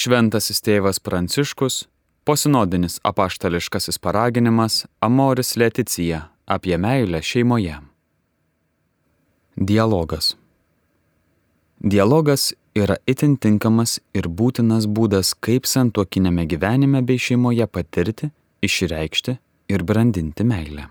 Šventasis tėvas Pranciškus, posinodinis apaštališkasis paraginimas Amoris Laetitia apie meilę šeimoje. Dialogas. Dialogas yra itin tinkamas ir būtinas būdas, kaip santuokiniame gyvenime bei šeimoje patirti, išreikšti ir brandinti meilę.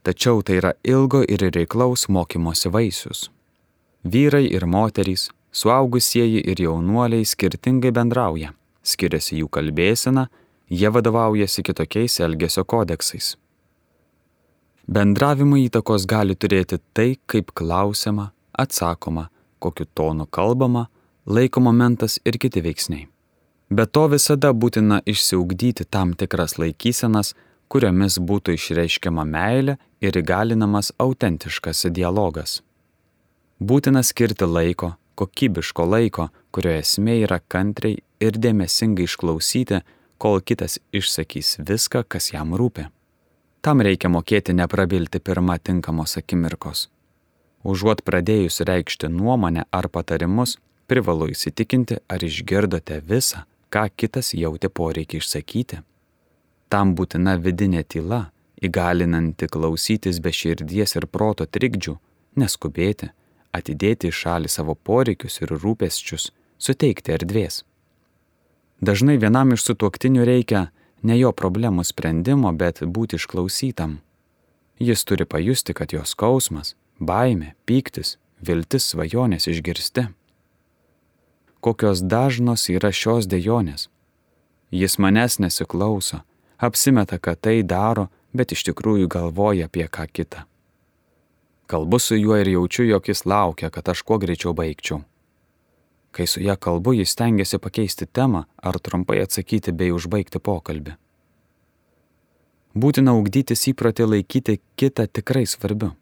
Tačiau tai yra ilgo ir reiklaus mokymosi vaisius. Vyrai ir moterys, suaugusieji ir jaunuoliai skirtingai bendrauja, skiriasi jų kalbėsena, jie vadovaujasi kitokiais elgesio kodeksais. Bendravimui įtakos gali turėti tai, kaip klausiama, atsakoma, kokiu tonu kalbama, laiko momentas ir kiti veiksniai. Be to visada būtina išsiugdyti tam tikras laikysenas, kuriomis būtų išreiškiama meilė ir įgalinamas autentiškas dialogas. Būtina skirti laiko, kokybiško laiko, kurio esmė yra kantriai ir dėmesingai išklausyti, kol kitas išsakys viską, kas jam rūpi. Tam reikia mokėti neprabilti pirmą tinkamos akimirkos. Užuot pradėjus reikšti nuomonę ar patarimus, privalu įsitikinti, ar išgirdote visą, ką kitas jautė poreikį išsakyti. Tam būtina vidinė tyla, įgalinanti klausytis be širdies ir proto trikdžių, neskubėti, atidėti į šalį savo poreikius ir rūpesčius, suteikti erdvės. Dažnai vienam iš sutuoktinių reikia ne jo problemų sprendimo, bet būti išklausytam. Jis turi pajusti, kad jo skausmas, baimė, pyktis, viltis, svajonės išgirsti. Kokios dažnos yra šios dejonės? Jis manęs nesiklauso, apsimeta, kad tai daro, bet iš tikrųjų galvoja apie ką kitą. Kalbu su juo ir jaučiu, jog jis laukia, kad aš kuo greičiau baigčiau. Kai su ja kalbu, jis stengiasi pakeisti temą ar trumpai atsakyti bei užbaigti pokalbį. Būtina ugdytis įprotį laikyti kitą tikrai svarbiu.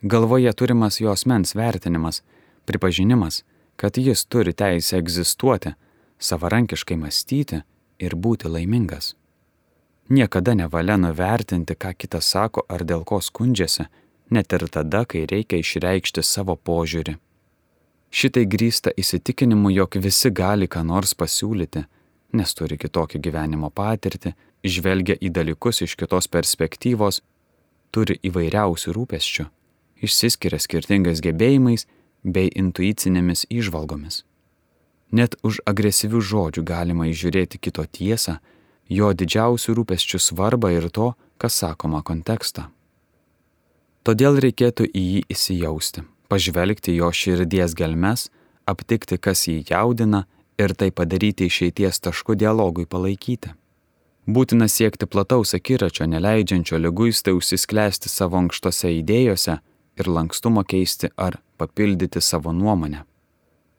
Galvoje turimas jo asmens vertinimas, pripažinimas, kad jis turi teisę egzistuoti, savarankiškai mąstyti ir būti laimingas. Niekada nevalia nuvertinti, ką kitas sako ar dėl ko skundžiasi, net ir tada, kai reikia išreikšti savo požiūrį. Šitai grįsta įsitikinimu, jog visi gali ką nors pasiūlyti, nes turi kitokią gyvenimo patirtį, žvelgia į dalykus iš kitos perspektyvos, turi įvairiausių rūpesčių, išsiskiria skirtingais gebėjimais bei intuicinėmis įžvalgomis. Net už agresyvių žodžių galima įžiūrėti kito tiesą, jo didžiausių rūpesčių svarbą ir to, kas sakoma kontekstą. Todėl reikėtų į jį įsijausti, pažvelgti jo širdies gelmes, aptikti, kas jį jaudina ir tai padaryti išeities tašku dialogui palaikyti. Būtina siekti plataus akiračio, neleidžiančio liguistai užsisklęsti savo ankštose idėjose ir lankstumo keisti ar papildyti savo nuomonę.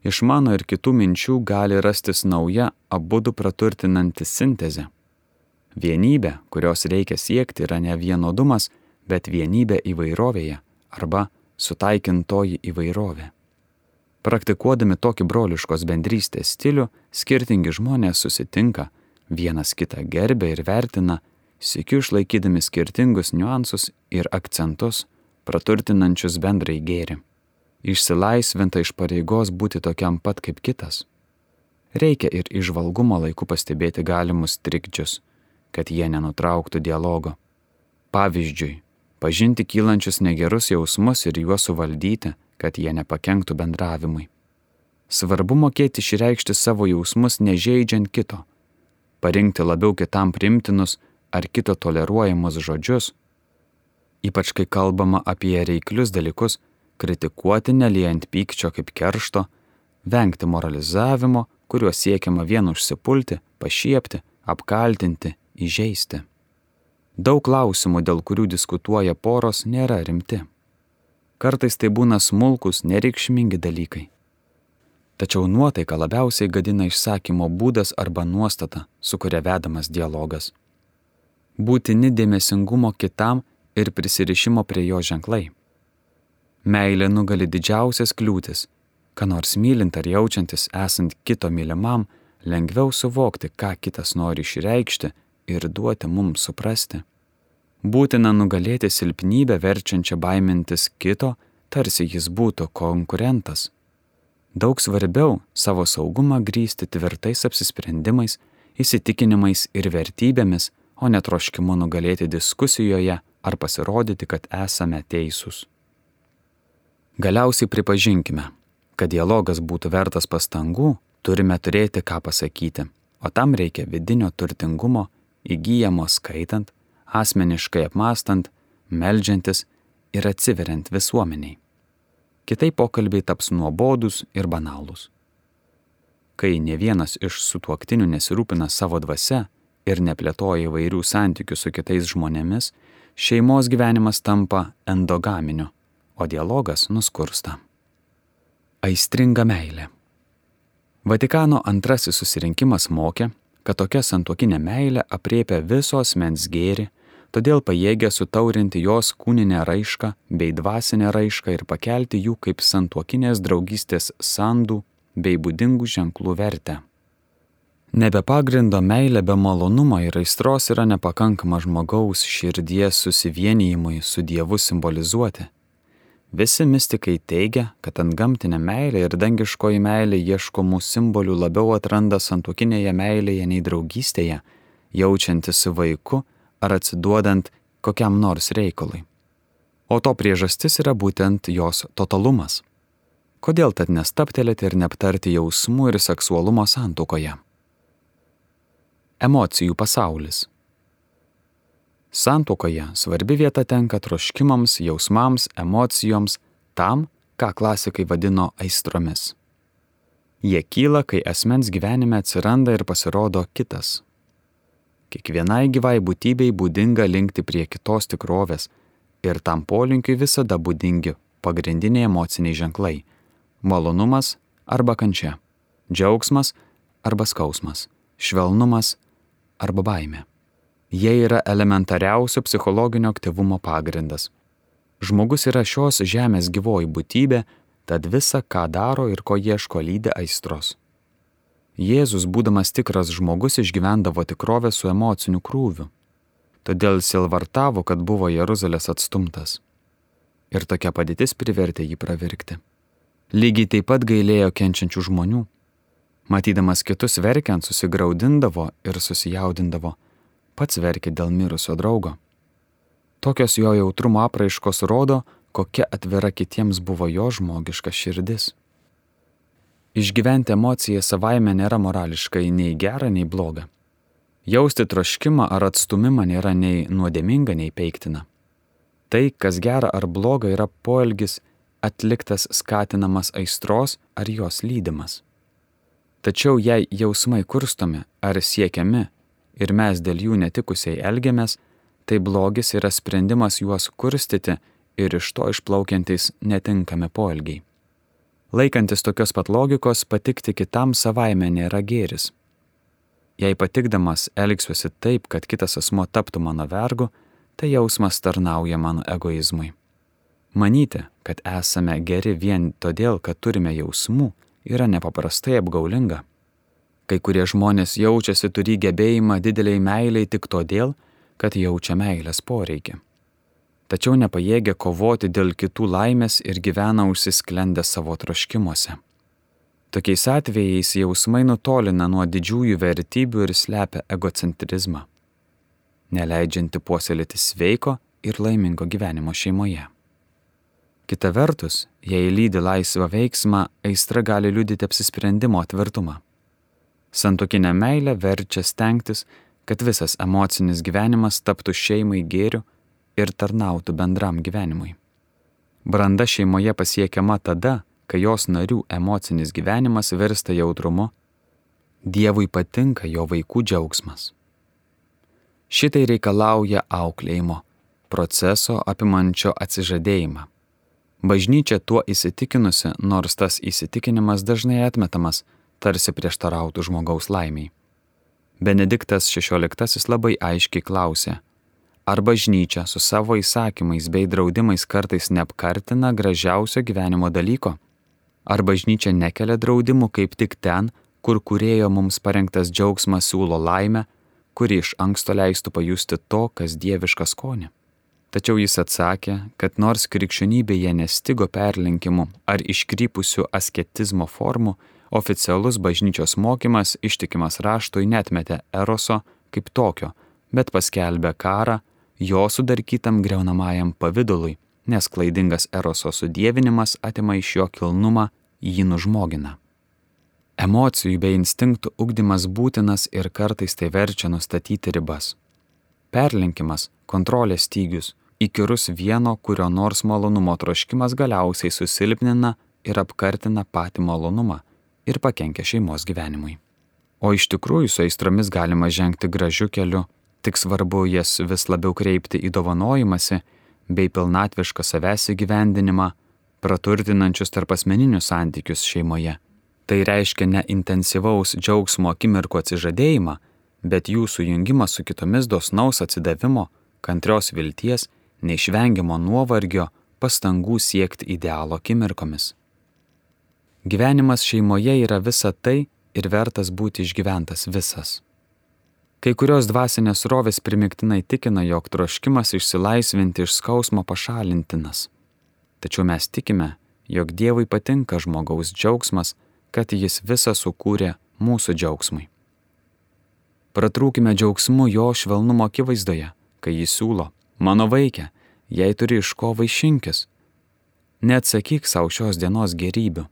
Iš mano ir kitų minčių gali rastis nauja, abudu praturtinanti sintezė. Vienybė, kurios reikia siekti, yra ne vienodumas, bet vienybė įvairovėje arba sutaikintoji įvairovė. Praktikuodami tokį broliškos bendrystės stilių, skirtingi žmonės susitinka, vienas kitą gerbia ir vertina, sykiu išlaikydami skirtingus niuansus ir akcentus, praturtinančius bendrai gėrį. Išsilaisvinta iš pareigos būti tokiam pat kaip kitas. Reikia ir įžvalgumo laiku pastebėti galimus trikdžius, kad jie nenutrauktų dialogo. Pavyzdžiui, pažinti kylančius negerus jausmus ir juos suvaldyti, kad jie nepakenktų bendravimui. Svarbu mokėti išreikšti savo jausmus nežeidžiant kito, parinkti labiau kitam priimtinus ar kito toleruojamus žodžius, ypač kai kalbama apie reiklius dalykus, kritikuoti neliejant pykčio kaip keršto, vengti moralizavimo, kuriuo siekiama vien užsipulti, pašiepti, apkaltinti, įžeisti. Daug klausimų, dėl kurių diskutuoja poros, nėra rimti. Kartais tai būna smulkus, nereikšmingi dalykai. Tačiau nuotaiką labiausiai gadina išsakymo būdas arba nuostata, su kuria vedamas dialogas. Būtini dėmesingumo kitam ir prisirišimo prie jo ženklai. Meilė nugali didžiausias kliūtis, ką nors mylint ar jaučiantis esant kito mylimam, lengviau suvokti, ką kitas nori išreikšti ir duoti mums suprasti. Būtina nugalėti silpnybę verčiančią baimintis kito, tarsi jis būtų konkurentas. Daug svarbiau savo saugumą grįsti tvirtais apsisprendimais, įsitikinimais ir vertybėmis, o ne troškimu nugalėti diskusijoje ar pasirodyti, kad esame teisūs. Galiausiai pripažinkime, kad dialogas būtų vertas pastangų, turime turėti ką pasakyti, o tam reikia vidinio turtingumo, įgyjamo skaitant, asmeniškai apmąstant, meldžiantis ir atsiveriant visuomeniai. Kitaip pokalbiai taps nuobodūs ir banalūs. Kai ne vienas iš sutuoktinių nesirūpina savo dvasia ir neplėtoja įvairių santykių su kitais žmonėmis, šeimos gyvenimas tampa endogaminiu, o dialogas nuskursta. Aistringa meilė. Vatikano antrasis susirinkimas mokė, kad tokia santuokinė meilė aprėpia viso asmens gėrį, todėl pajėgia sutaurinti jos kūninę raišką bei dvasinę raišką ir pakelti jų kaip santuokinės draugystės sandų bei būdingų ženklų vertę. Nebe pagrindo meilė be malonumo ir aistros yra nepakankama žmogaus širdies susivienijimui su Dievu simbolizuoti. Visi mistikai teigia, kad antgamtinė meilė ir dangiškoji meilė ieškomų simbolių labiau atranda santuokinėje meilėje nei draugystėje, jaučiantis su vaiku ar atsiduodant kokiam nors reikalui. O to priežastis yra būtent jos totalumas. Kodėl tad nestaptelėti ir neaptarti jausmų ir seksualumo santuokoje? Emocijų pasaulis. Santuokoje svarbi vieta tenka troškimams, jausmams, emocijoms, tam, ką klasikai vadino aistromis. Jie kyla, kai asmens gyvenime atsiranda ir pasirodo kitas. Kiekvienai gyvai būtybei būdinga linkti prie kitos tikrovės ir tam polinkiui visada būdingi pagrindiniai emociniai ženklai – malonumas arba kančia, džiaugsmas arba skausmas, švelnumas arba baimė. Jie yra elementariausio psichologinio aktyvumo pagrindas. Žmogus yra šios žemės gyvoji būtybė, tad visa, ką daro ir ko ieško, lydi aistros. Jėzus, būdamas tikras žmogus, išgyvendavo tikrovę su emociniu krūviu. Todėl sielvartavo, kad buvo Jeruzalės atstumtas. Ir tokia padėtis privertė jį pravirkti. Lygiai taip pat gailėjo kenčiančių žmonių. Matydamas kitus verkiant, susigraudindavo ir susijaudindavo. Pats verkė dėl mirusio draugo. Tokios jo jautrumo apraiškos rodo, kokia atvira kitiems buvo jo žmogiška širdis. Išgyventi emociją savaime nėra morališkai nei gera, nei bloga. Jausti troškimą ar atstumimą nėra nei nuodėminga, nei peiktina. Tai, kas gera ar bloga, yra poelgis atliktas skatinamas aistros ar jos lydimas. Tačiau jei jausmai kurstomi ar siekiami ir mes dėl jų netikusiai elgiamės, tai blogis yra sprendimas juos kurstyti ir iš to išplaukiantys netinkami poelgiai. Laikantis tokios pat logikos, patikti kitam savaime nėra gėris. Jei patikdamas elgsiuosi taip, kad kitas asmuo taptų mano vergu, tai jausmas tarnauja mano egoizmui. Manyti, kad esame geri vien todėl, kad turime jausmų, yra nepaprastai apgaulinga. Kai kurie žmonės jaučiasi turį gebėjimą dideliai meiliai tik todėl, kad jaučia meilės poreikį. Tačiau nepajėgia kovoti dėl kitų laimės ir gyvena užsisklendę savo troškimuose. Tokiais atvejais jausmai nutolina nuo didžiųjų vertybių ir slepia egocentrizmą, neleidžianti puoselėti sveiko ir laimingo gyvenimo šeimoje. Kita vertus, jei lydi laisvą veiksmą, aistra gali liudyti apsisprendimo tvirtumą. Santuokinė meilė verčia stengtis, kad visas emocinis gyvenimas taptų šeimai gėriu ir tarnautų bendram gyvenimui. Branda šeimoje pasiekiama tada, kai jos narių emocinis gyvenimas virsta jautrumu, Dievui patinka jo vaikų džiaugsmas. Šitai reikalauja auklėjimo, proceso apimančio atsižadėjimą. Bažnyčia tuo įsitikinusi, nors tas įsitikinimas dažnai atmetamas, tarsi prieštarautų žmogaus laimiai. Benediktas XVI labai aiškiai klausė, ar bažnyčia su savo įsakymais bei draudimais kartais neapkartina gražiausio gyvenimo dalyko? Ar bažnyčia nekelia draudimų kaip tik ten, kur kūrėjo mums parengtas džiaugsmas siūlo laimę, kuri iš anksto leistų pajusti to, kas dieviška skonį? Tačiau jis atsakė, kad nors krikščionybėje nestigo perlenkimų ar iškrypusių asketizmo formų, oficialus bažnyčios mokymas ištikimas raštui netmetė eroso kaip tokio, bet paskelbė karą jo sudarkytam greunamajam pavidalui, nes klaidingas eroso sudievinimas atima iš jo kilnumą, jį nužmogina. Emocijų bei instinktų ugdymas būtinas ir kartais tai verčia nustatyti ribas. Perlenkimas, kontrolės stygius, įkyrus vieno kurio nors malonumo troškimas galiausiai susilpnina ir apkartina patį malonumą ir pakenkia šeimos gyvenimui. O iš tikrųjų su aistromis galima žengti gražiu keliu, tik svarbu jas vis labiau kreipti į dovanojimąsi bei pilnatvišką savęs įgyvendinimą, praturtinančius tarpasmeninius santykius šeimoje. Tai reiškia ne intensyvaus džiaugsmo akimirkų atsižadėjimą, bet jų sujungimą su kitomis dosnaus atsidavimo, kantrios vilties, neišvengiamo nuovargio, pastangų siekti idealo akimirkomis. Gyvenimas šeimoje yra visa tai ir vertas būti išgyventas visas. Kai kurios dvasinės srovės primiktinai tikina, jog troškimas išsilaisvinti iš skausmo pašalintinas. Tačiau mes tikime, jog Dievui patinka žmogaus džiaugsmas, kad jis visą sukūrė mūsų džiaugsmui. Pratrūkime džiaugsmu jo švelnumo akivaizdoje, kai jis siūlo: mano vaike, jei turi iš ko vaišinkis, neatsakyk savo šios dienos gerybių.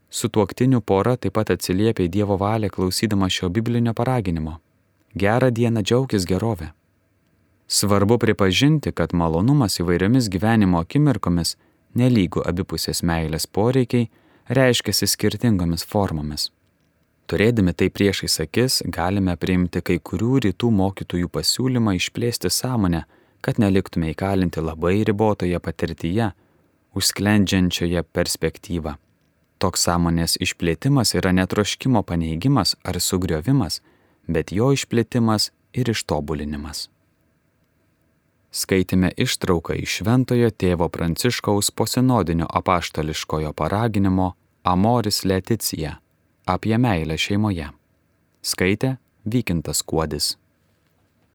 Sutuoktinių pora taip pat atsiliepia į Dievo valią klausydama šio biblinio paraginimo. Gerą dieną džiaukis gerovę. Svarbu pripažinti, kad malonumas įvairiomis gyvenimo akimirkomis, nelygu abipusės meilės poreikiai, reiškiasi skirtingomis formomis. Turėdami tai priešais akis, galime priimti kai kurių rytų mokytojų pasiūlymą išplėsti sąmonę, kad neliktume įkalinti labai ribotoje patirtyje, užsklendžiančioje perspektyvą. Toks sąmonės išplėtimas yra ne troškimo paneigimas ar sugriovimas, bet jo išplėtimas ir ištobulinimas. Skaitėme ištrauką iš Šventojo tėvo Pranciškaus posinodinio apaštališkojo paraginimo Amoris Laetitia apie meilę šeimoje. Skaitė Vykintas Kuodis.